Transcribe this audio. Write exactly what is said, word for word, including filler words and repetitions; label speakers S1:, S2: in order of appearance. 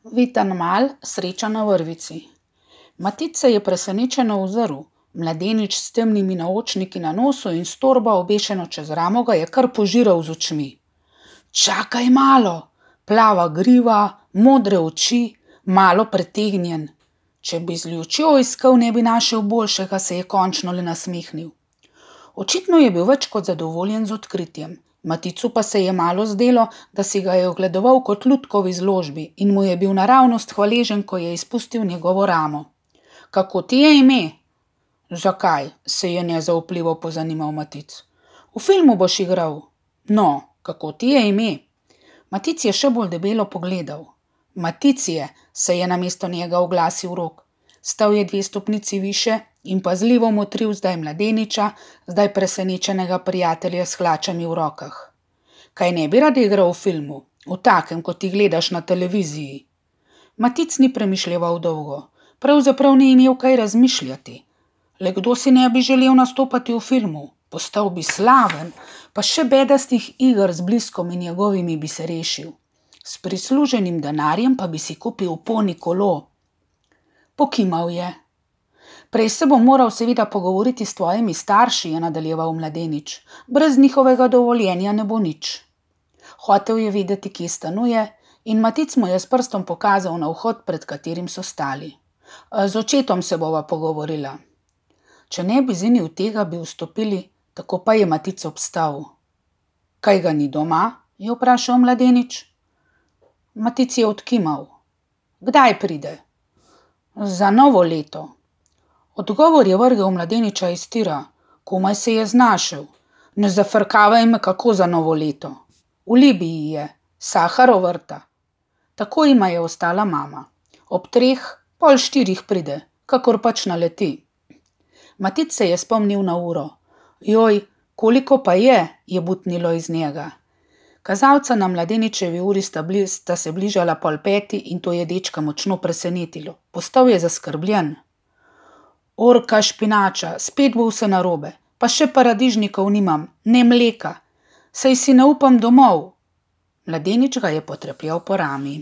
S1: Vitan mal, sreča na vrvici. Matic se je presenečeno ozrl. Mladenič s temnimi naočniki na nosu in s torbo, obešeno čez ramo, ga je kar požiral z očmi. Čakaj malo, plava griva, modre oči, malo pretegnjen. Če bi z lučjo iskal, ne bi našel boljšega, se je končno le nasmehnil. Očitno je bil več kot zadovoljen z odkritjem. Maticu pa se je malo zdelo, da si ga je ogledoval kot lutko v izložbi in mu je bil naravnost hvaležen, ko je izpustil njegovo ramo. Kako ti je ime? Zakaj? Se je nezaupljivo pozanimal Matic. V filmu boš igral. No, kako ti je ime? Matic je še bolj debelo pogledal. Maticije, se je namesto njega oglasil Rok. Stal je dve stopnici više in pazljivo motril zdaj mladeniča, zdaj presenečenega prijatelja s hlačami v rokah. Kaj ne bi rad igral v filmu? V takem, kot ti gledaš na televiziji? Matic ni premišljeval dolgo. Pravzaprav ni imel kaj razmišljati. Le kdo si ne bi želel nastopati v filmu? Postal bi slaven, pa še bedastih iger z Bliskom in njegovimi bi se rešil. S prisluženim denarjem pa bi si kupil poni kolo. Pokimal je. Prej se bom moral seveda pogovoriti s tvojimi starši, je nadaljeval mladenič. Brez njihovega dovoljenja ne bo nič. Hotel je vedeti, kje stanuje, in Matic mu je s prstom pokazal na vhod, pred katerim so stali. Z očetom se bova pogovorila. Če ne bi zinil tega, bi vstopili, tako pa je Matic obstal. Kaj ga ni doma? Je vprašal mladenič. Matic je odkimal. Kdaj pride? Za novo leto. Odgovor je vrgel mladeniča iz tira. Komaj se je znašel. Ne zafrkavaj me, kako za novo leto. V Libiji je, Saharov vrta. Tako jima je ostala mama. Ob treh, pol štirih pride, kakor pač naleti. Matic se je spomnil na uro. Joj, koliko pa je, je butnilo iz njega. Kazalca na mladeničevi uri sta, bli, sta se bližala pol peti in to je dečka močno presenetilo. Postal je zaskrbljen. Orka špinača, spet bo vse narobe, pa še paradižnikov nimam, ne mleka. Saj si ne upam domov. Mladenič ga je potrepljal po rami.